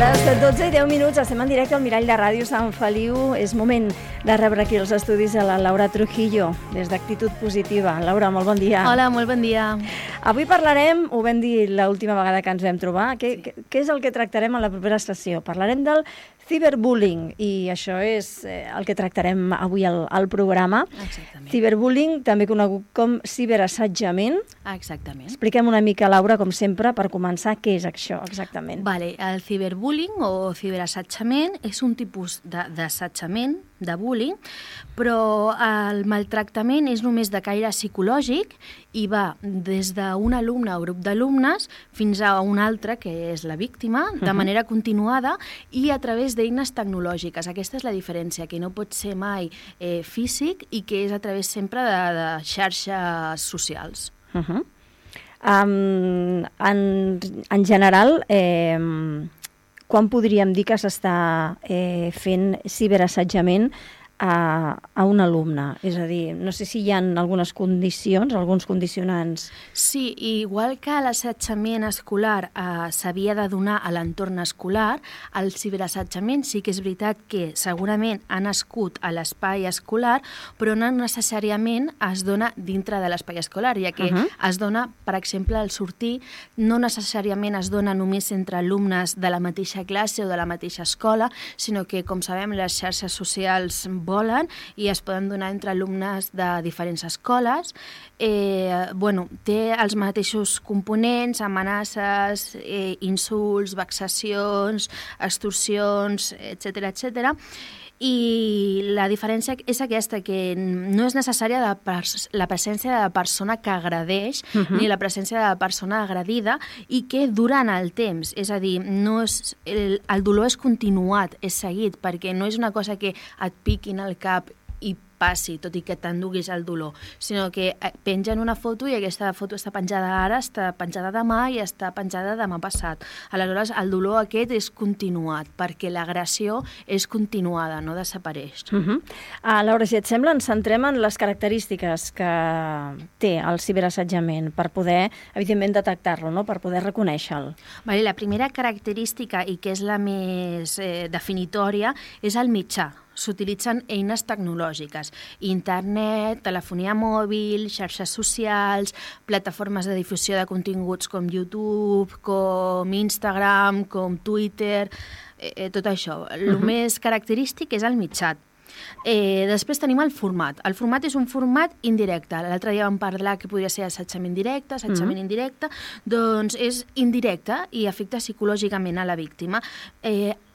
les 12:10 estem en directe al Mirall de Ràdio Sant Feliu. És moment de rebre aquí els estudis a la Laura Trujillo, des d'Actitud Positiva. Laura, molt bon dia. Hola, molt bon dia. Avui parlarem, ho vam dir l'última vegada que ens vam trobar, què és el que tractarem en la propera sessió? Parlarem del ciberbullying, i això és el que tractarem avui al programa. Exactament. Ciberbullying, també conegut com ciberassetjament. Exactament. Expliquem una mica, Laura, com sempre, per començar, què és això exactament. Vale, el ciberbullying o ciberassetjament és un tipus d'assetjament, de bullying, però el maltractament és només de caire psicològic i va des d'un alumne o grup d'alumnes fins a un altre, que és la víctima, de manera continuada i a través d'eines tecnològiques. Aquesta és la diferència, que no pot ser mai físic i que és a través sempre de xarxes socials. En general, quan podríem dir que s'està fent ciberassetjament a un alumne? És a dir, no sé si hi ha algunes condicions, alguns condicionants. Sí, igual que l'assetjament escolar s'havia de donar a l'entorn escolar, el ciberassetjament sí que és veritat que segurament ha nascut a l'espai escolar, però no necessàriament es dona dintre de l'espai escolar, ja que es dona, per exemple, al sortir, no necessàriament es dona només entre alumnes de la mateixa classe o de la mateixa escola, sinó que, com sabem, les xarxes socials volen i es poden donar entre alumnes de diferents escoles. Té els mateixos components, amenaces, insults, vexacions, extorsions, etc. I la diferència és aquesta, que no és necessària la presència de la persona que agredeix ni la presència de la persona agredida, i que durant el temps, és a dir, el dolor és continuat, és seguit, perquè no és una cosa que et piquin al cap i passi, tot i que t'enduguis el dolor, sinó que pengen una foto i aquesta foto està penjada ara, està penjada demà i està penjada demà passat. Aleshores, el dolor aquest és continuat, perquè l'agressió és continuada, no desapareix. Laura, si et sembla, ens centrem en les característiques que té el ciberassetjament per poder, evidentment, detectar-lo, no? Per poder reconèixer-lo. La primera característica, i que és la més definitòria, és el mitjà. S'utilitzen eines tecnològiques, internet, telefonia mòbil, xarxes socials, plataformes de difusió de continguts com YouTube, com Instagram, com Twitter, tot això. El més característic és el mitjà. Després tenim el format. El format és un format indirecte. L'altre dia vam parlar que podria ser assetjament directe, assetjament indirecte, doncs és indirecte i afecta psicològicament a la víctima.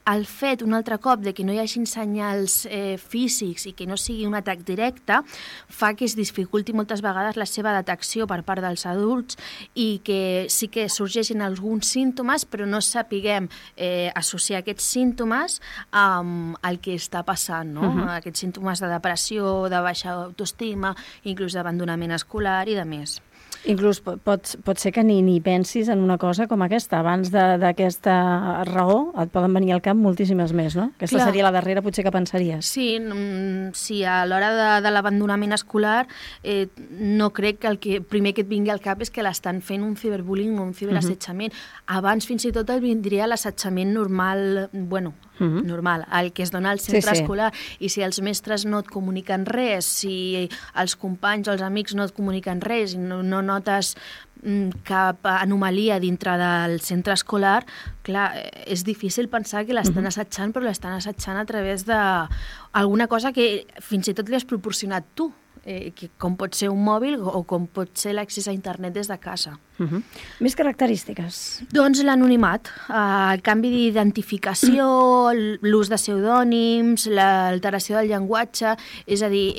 El fet, un altre cop, de que no hi hagi senyals físics i que no sigui un atac directe fa que es dificulti moltes vegades la seva detecció per part dels adults i que sí que sorgeixin alguns símptomes, però no sapiguem associar aquests símptomes amb el que està passant, no? Aquests símptomes de depressió, de baixa autoestima, inclús d'abandonament escolar i de més. Inclús pot ser que ni pensis en una cosa com aquesta. Abans d'aquesta raó et poden venir al cap moltíssimes més, no? Aquesta seria la darrera, potser, que pensaries. Sí, a l'hora de l'abandonament escolar no crec que el que primer que et vingui al cap és que l'estan fent un ciberbullying o un ciberassetjament. Abans fins i tot el vindria l'assetjament normal, normal, el que es dona al centre escolar, i si els mestres no et comuniquen res, si els companys o els amics no et comuniquen res i no notes cap anomalia dintre del centre escolar, clar, és difícil pensar que l'estan assetjant, però l'estan assetjant a través d'alguna cosa que fins i tot li has proporcionat tu, com pot ser un mòbil o com pot ser l'accés a internet des de casa. Més característiques? Doncs l'anonimat, el canvi d'identificació, l'ús de pseudònims, l'alteració del llenguatge, és a dir,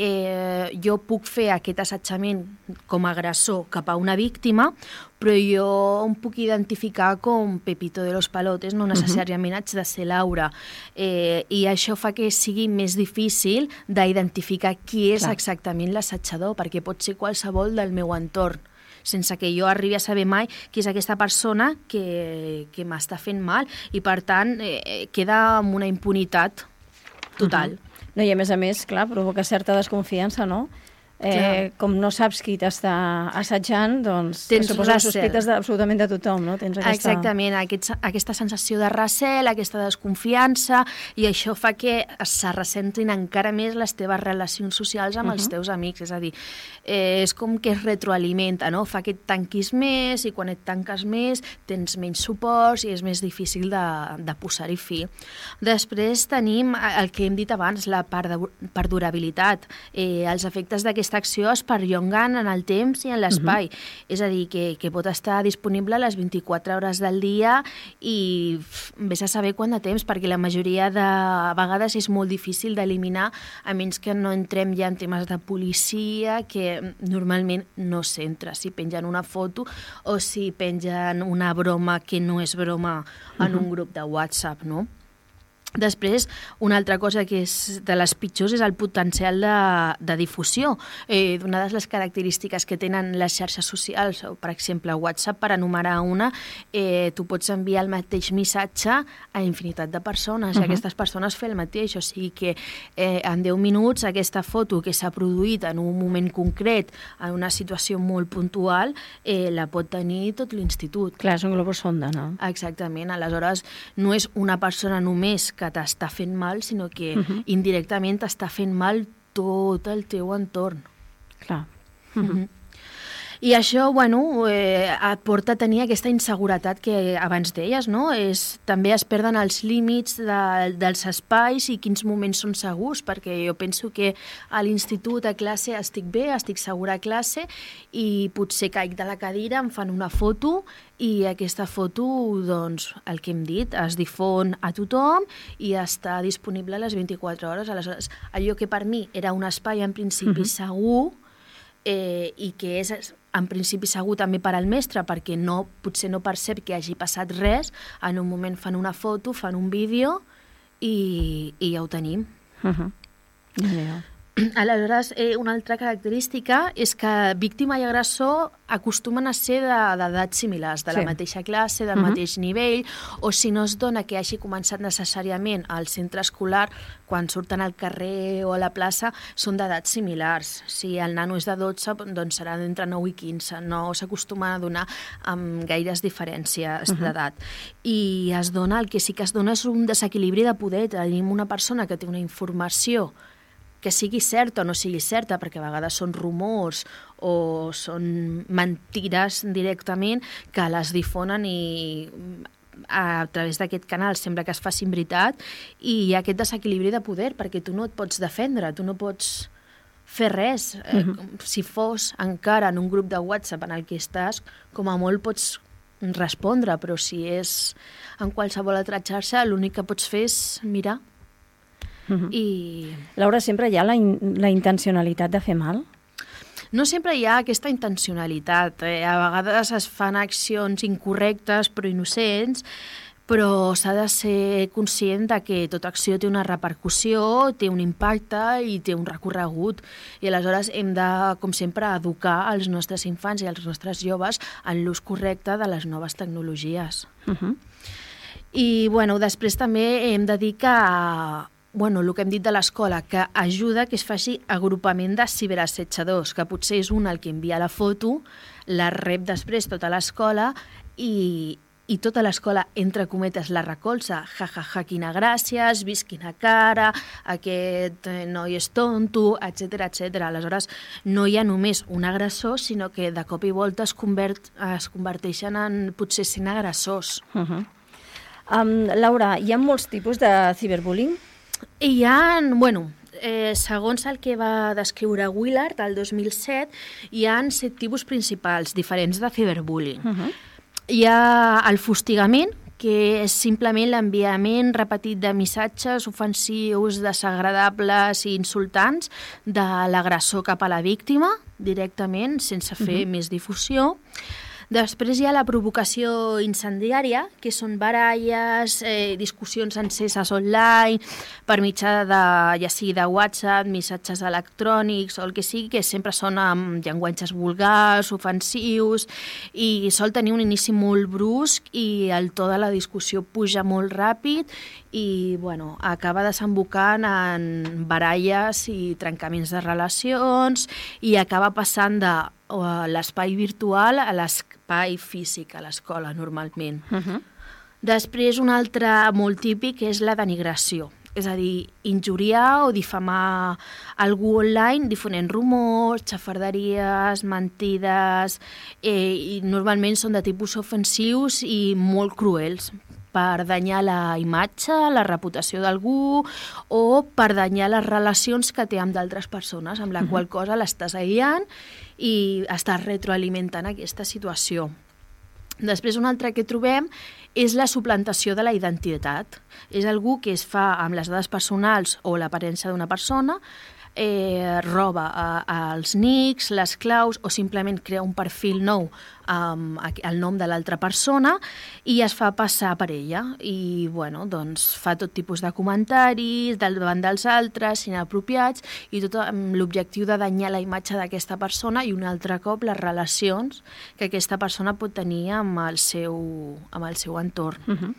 jo puc fer aquest assetjament com a agressor cap a una víctima, però jo em puc identificar com Pepito de los Palotes, no necessàriament haig de ser Laura. I això fa que sigui més difícil d'identificar qui és exactament l'assetjador, perquè pot ser qualsevol del meu entorn, sense que jo arribi a saber mai qui és aquesta persona que m'està fent mal, i per tant queda amb una impunitat total. No, i a més, clar, provoca certa desconfiança, no? Com no saps qui t'està assetjant, doncs suposo les sospites absolutament de tothom, no? Tens aquesta... Exactament, aquesta sensació de recel, aquesta desconfiança, i això fa que se ressentin encara més les teves relacions socials amb els teus amics. És a dir, és com que es retroalimenta, no? Fa que et tanquis més, i quan et tanques més tens menys suports i és més difícil de posar-hi fi. Després tenim el que hem dit abans, la perdurabilitat. Els efectes d'aquesta acció es perllonguen en el temps i en l'espai. És a dir, que pot estar disponible a les 24 hores del dia i vés a saber quant de temps, perquè la majoria de vegades és molt difícil d'eliminar, a menys que no entrem ja en temes de policia, que normalment no s'entra. Si pengen una foto o si pengen una broma que no és broma en un grup de WhatsApp, no? Després, una altra cosa que és de les pitjors és el potencial de difusió. Una de les característiques que tenen les xarxes socials, o per exemple WhatsApp, per enumerar una, tu pots enviar el mateix missatge a infinitat de persones, i aquestes persones fer el mateix. O sigui que en 10 minuts aquesta foto que s'ha produït en un moment concret, en una situació molt puntual, la pot tenir tot l'institut. Clar, és un globus sonda, no? Exactament. Aleshores, no és una persona només que t'està fent mal, sinó que indirectament t'està fent mal tot el teu entorn. Clar. I això, bueno, et porta a tenir aquesta inseguretat que abans deies, no? També es perden els límits dels espais i quins moments són segurs, perquè jo penso que a l'institut, a classe, estic bé, estic segura a classe, i potser caic de la cadira, em fan una foto, i aquesta foto, doncs, el que hem dit, es difon a tothom i està disponible a les 24 hores. Aleshores, allò que per mi era un espai en principi segur, i que és en principi segur també per al mestre, perquè potser no percep que hagi passat res, en un moment fan una foto, fan un vídeo i ja ho tenim. Aleshores, una altra característica és que víctima i agressor acostumen a ser d'edats similars, de la mateixa classe, del mateix nivell, o si no es dona que hagi començat necessàriament al centre escolar, quan surten al carrer o a la plaça, són d'edats similars. Si el nano és de 12, doncs serà d'entre 9 i 15. No s'acostuma a donar amb gaires diferències d'edat. I el que sí que es dona és un desequilibri de poder. Tenim una persona que té una informació que sigui certa o no sigui certa, perquè a vegades són rumors o són mentides directament, que les difonen i a través d'aquest canal sembla que es facin veritat, i hi ha aquest desequilibri de poder, perquè tu no et pots defendre, tu no pots fer res. Si fos encara en un grup de WhatsApp en el que estàs, com a molt pots respondre, però si és en qualsevol altra xarxa, l'únic que pots fer és mirar. Laura, sempre hi ha la intencionalitat de fer mal? No sempre hi ha aquesta intencionalitat. A vegades es fan accions incorrectes però innocents, però s'ha de ser conscient de que tota acció té una repercussió, té un impacte i té un recorregut. I aleshores hem de, com sempre, educar els nostres infants i els nostres joves en l'ús correcte de les noves tecnologies. I, bueno, després també hem de dir que el que hem dit de l'escola, que ajuda que es faci agrupament de ciberassetjadors, que potser és un el que envia la foto, la rep després tota l'escola i tota l'escola, entre cometes, la recolza. Quina gràcia, has vist quina cara, aquest noi és tonto, etc. Aleshores, no hi ha només un agressor, sinó que de cop i volta es converteixen en potser 100 agressors. Laura, hi ha molts tipus de ciberbullying? Hi ha, segons el que va descriure Willard el 2007, hi ha 7 tipus principals diferents de ciberbullying. Hi ha el fustigament, que és simplement l'enviament repetit de missatges ofensius, desagradables i insultants de l'agressor cap a la víctima, directament, sense fer més difusió. Després hi ha la provocació incendiària, que són baralles, discussions enceses online, per mitjà ja sigui de WhatsApp, missatges electrònics o el que sigui, que sempre són amb llenguatges vulgars, ofensius, i sol tenir un inici molt brusc i el to de la discussió puja molt ràpid i acaba desembocant en baralles i trencaments de relacions i acaba passant de l'espai virtual a l'espai físic a l'escola, normalment. Després, un altre molt típic és la denigració. És a dir, injuriar o difamar algú online difonent rumors, xafarderies, mentides, i normalment són de tipus ofensius i molt cruels, per danyar la imatge, la reputació d'algú o per danyar les relacions que té amb d'altres persones, amb la qual cosa l'estàs aïllant i estàs retroalimentant aquesta situació. Després, un altre que trobem és la suplantació de la identitat. És algú que es fa amb les dades personals o l'aparença d'una persona, roba els nics, les claus o simplement crea un perfil nou amb el nom de l'altra persona i es fa passar per ella i fa tot tipus de comentaris davant dels altres, inapropiats i tot amb l'objectiu de danyar la imatge d'aquesta persona i un altre cop les relacions que aquesta persona pot tenir amb el seu entorn.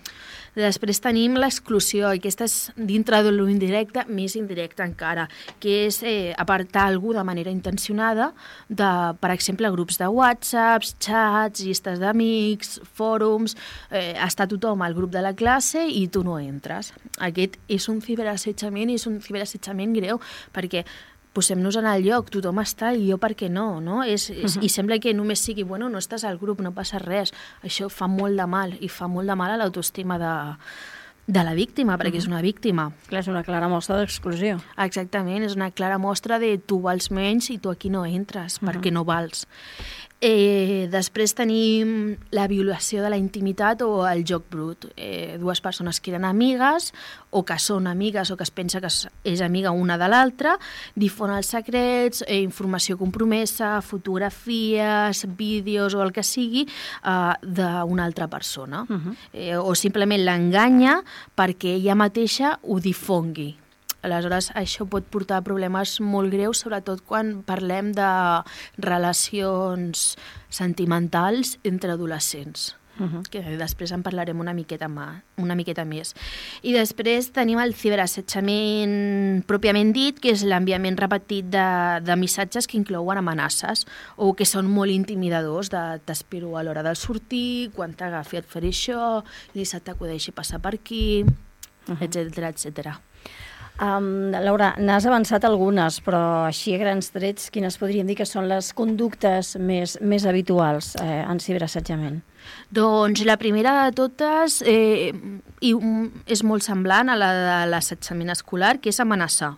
Després tenim l'exclusió, i aquesta és dintre de l'indirecte, més indirecta encara, que és apartar algú de manera intencionada de, per exemple, grups de WhatsApp, xats, llistes d'amics, fòrums, està tothom al grup de la classe i tu no entres. Aquest és un ciberassetjament i és un ciberassetjament greu, perquè posem-nos en el lloc, tothom està i jo per què no? I sembla que només sigui, no estàs al grup, no passa res. Això fa molt de mal, i fa molt de mal a l'autoestima de la víctima, perquè és una víctima. Clar, és una clara mostra d'exclusió. Exactament, és una clara mostra de tu vals menys i tu aquí no entres, perquè no vals. Després tenim la violació de la intimitat o el joc brut. Dues persones que eren amigues o que són amigues o que es pensa que és amiga una de l'altra, difonen els secrets, informació compromesa, fotografies, vídeos o el que sigui d'una altra persona. O simplement l'enganya perquè ella mateixa ho difongui. Aleshores, això pot portar a problemes molt greus, sobretot quan parlem de relacions sentimentals entre adolescents, que després en parlarem una miqueta més. I després tenim el ciberassetjament pròpiament dit, que és l'enviament repetit de missatges que inclouen amenaces o que són molt intimidadors, t'espero a l'hora de sortir, quan t'agafi et faré això, ni se t'acudeixi passar per aquí, etcètera, etcètera. Laura, n'has avançat algunes, però així a grans trets, quines podríem dir que són les conductes més habituals en ciberassetjament? Doncs la primera de totes és molt semblant a la de l'assetjament escolar, que és amenaçar.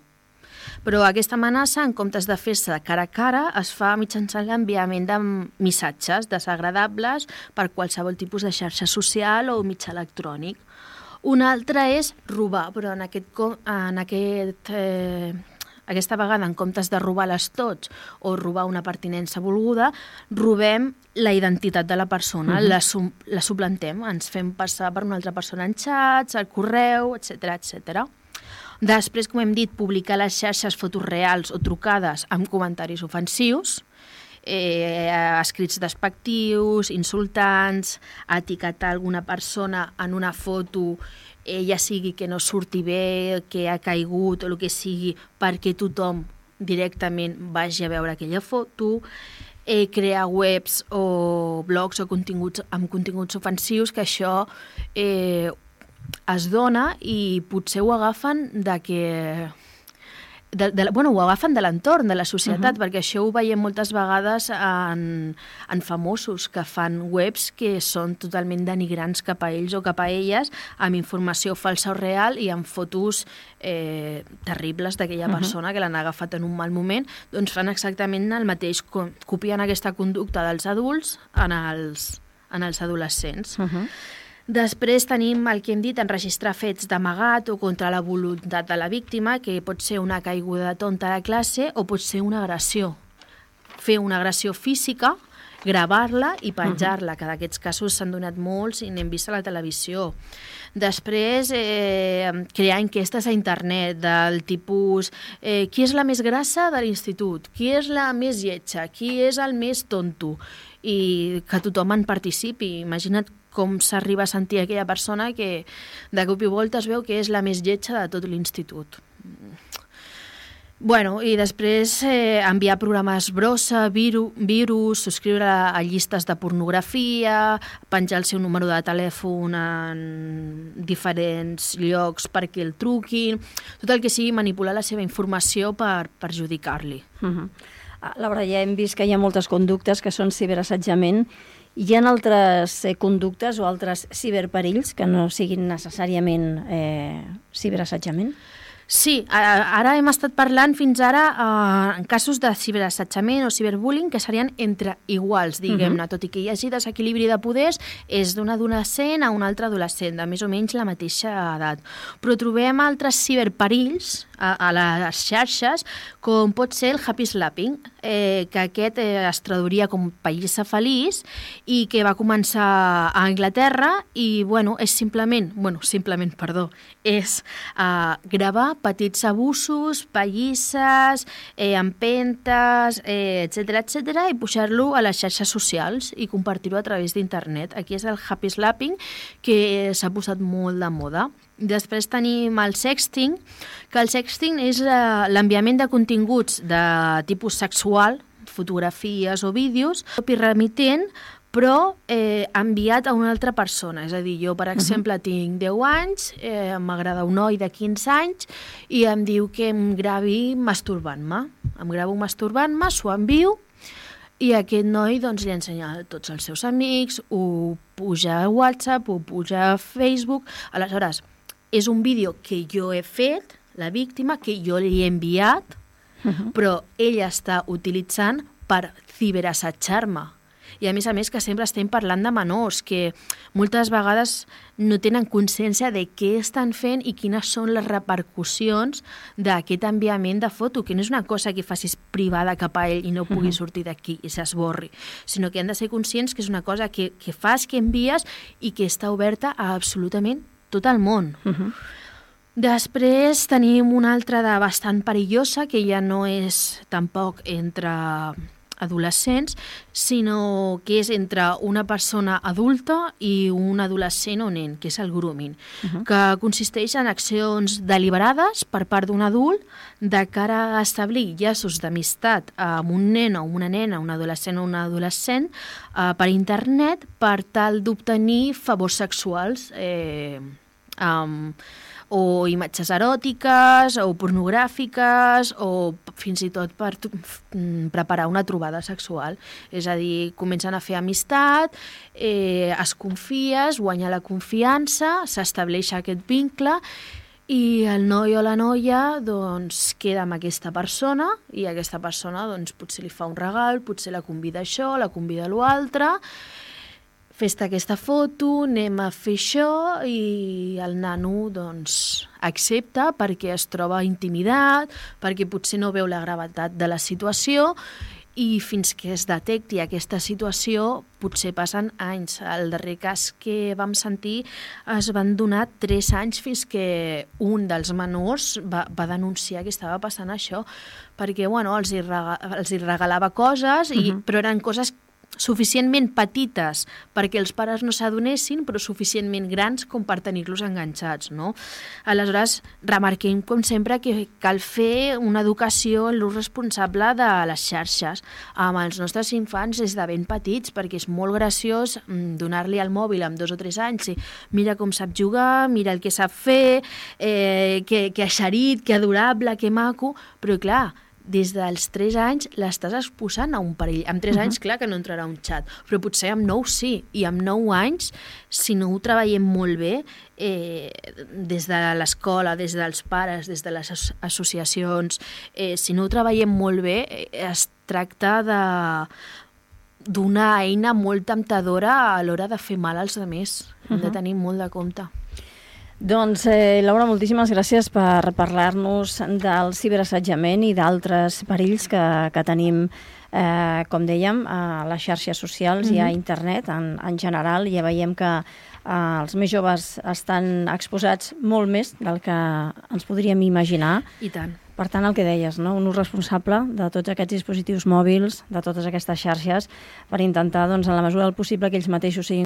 Però aquesta amenaça, en comptes de fer-se cara a cara, es fa mitjançant l'enviament de missatges desagradables per qualsevol tipus de xarxa social o mitjà electrònic. Una altra és robar, però aquesta vegada, en comptes de robar les tots o robar una pertinença volguda, robem la identitat de la persona, la suplantem, ens fem passar per una altra persona en xats, al correu, etcètera. Després, com hem dit, publicar a les xarxes fotos reals o trucades amb comentaris ofensius, escrits despectius, insultants, etiquetar alguna persona en una foto, ja sigui que no surti bé, que ha caigut o el que sigui, perquè tothom directament vagi a veure aquella foto, crear webs o blogs o amb continguts ofensius, que això es dona i potser ho agafen ho agafen de l'entorn, de la societat, perquè això ho veiem moltes vegades en famosos que fan webs que són totalment denigrants cap a ells o cap a elles, amb informació falsa o real i amb fotos terribles d'aquella persona que l'han agafat en un mal moment, doncs fan exactament el mateix, copien aquesta conducta dels adults en els adolescents. Després tenim el que hem dit, enregistrar fets d'amagat o contra la voluntat de la víctima, que pot ser una caiguda tonta a la classe o pot ser una agressió. Fer una agressió física gravar-la i penjar-la, que d'aquests casos s'han donat molts i n'hem vist a la televisió. Després, crear enquestes a internet del tipus qui és la més grassa de l'institut, qui és la més lletja, qui és el més tonto, i que tothom en participi. Imagina't com s'arriba a sentir aquella persona que de cop i volta es veu que és la més lletja de tot l'institut. Bueno, i després enviar programes brossa, virus, subscriure a llistes de pornografia, penjar el seu número de telèfon en diferents llocs perquè el truquin, tot el que sigui manipular la seva informació per perjudicar-li. Laura, ja hem vist que hi ha moltes conductes que són ciberassetjament. Hi ha altres conductes o altres ciberperills que no siguin necessàriament ciberassetjament? Sí, ara hem estat parlant fins ara en casos de ciberassetjament o ciberbullying que serien entre iguals, diguem-ne, tot i que hi hagi desequilibri de poders, és d'un adolescent a un altre adolescent, de més o menys la mateixa edat. Però trobem altres ciberperills a les xarxes, com pot ser el happy slapping, que aquest es traduiria com pallissa feliç i que va començar a Anglaterra i, és gravar petits abusos, pallisses, empentes, etc., i pujar-lo a les xarxes socials i compartir-ho a través d'internet. Aquí és el happy slapping, que s'ha posat molt de moda. Després tenim el sexting, que el sexting és l'enviament de continguts de tipus sexual, fotografies o vídeos, remitent, però enviat a una altra persona. És a dir, jo, per exemple, tinc 10 anys, m'agrada un noi de 15 anys i em diu que em gravi masturbant-me. Em gravo masturbant-me, s'ho envio i aquest noi li ensenya a tots els seus amics, ho puja a WhatsApp, ho puja a Facebook. Aleshores, és un vídeo que jo he fet, la víctima, que jo li he enviat, però ella està utilitzant per ciberassetjar-me. I a més que sempre estem parlant de menors, que moltes vegades no tenen consciència de què estan fent i quines són les repercussions d'aquest enviament de foto, que no és una cosa que facis privada cap a ell i no pugui sortir d'aquí i s'esborri, sinó que han de ser conscients que és una cosa que fas, que envies i que està oberta a absolutament tot el món. Després tenim una altra de bastant perillosa, que ja no és tampoc entre adolescents, sinó que és entre una persona adulta i un adolescent o nen, que és el grooming, que consisteix en accions deliberades per part d'un adult de cara a establir llaços d'amistat amb un nen o una nena, un adolescent o una adolescent, per internet per tal d'obtenir favors sexuals o imatges eròtiques o pornogràfiques o fins i tot per preparar una trobada sexual. És a dir, comencen a fer amistat, es confies, guanya la confiança, s'estableix aquest vincle i el noi o la noia queda amb aquesta persona i aquesta persona potser li fa un regal, potser la convida a això, la convida a l'altre, fes-te aquesta foto, anem a fer això, i el nano accepta perquè es troba intimidat, perquè potser no veu la gravetat de la situació i fins que es detecti aquesta situació potser passen anys. El darrer cas que vam sentir es van donar 3 anys fins que un dels menors va denunciar que estava passant això, perquè els hi regalava coses, però eren coses suficientment petites perquè els pares no s'adonessin, però suficientment grans com per tenir-los enganxats, no? Aleshores, remarquem, com sempre, que cal fer una educació en l'ús responsable de les xarxes amb els nostres infants des de ben petits, perquè és molt graciós donar-li el mòbil amb 2 o 3 anys i mira com sap jugar, mira el que sap fer, que eixerit, que adorable, que maco, però clar, des dels 3 anys l'estàs exposant a un perill. Amb 3 anys, clar que no entrarà un xat, però potser amb 9 sí, i amb 9 anys, si no ho treballem molt bé, des de l'escola, des dels pares, des de les associacions, si no ho treballem molt bé, es tracta d'una eina molt temptadora a l'hora de fer mal als altres. Hem de tenir molt de compte. Doncs, Laura, moltíssimes gràcies per parlar-nos del ciberassetjament i d'altres perills que tenim, com dèiem, a les xarxes socials i a internet en general. Ja veiem que els més joves estan exposats molt més del que ens podríem imaginar. I tant. Per tant, el que deies, no? Un ús responsable de tots aquests dispositius mòbils, de totes aquestes xarxes, per intentar, doncs, en la mesura del possible, que ells mateixos siguin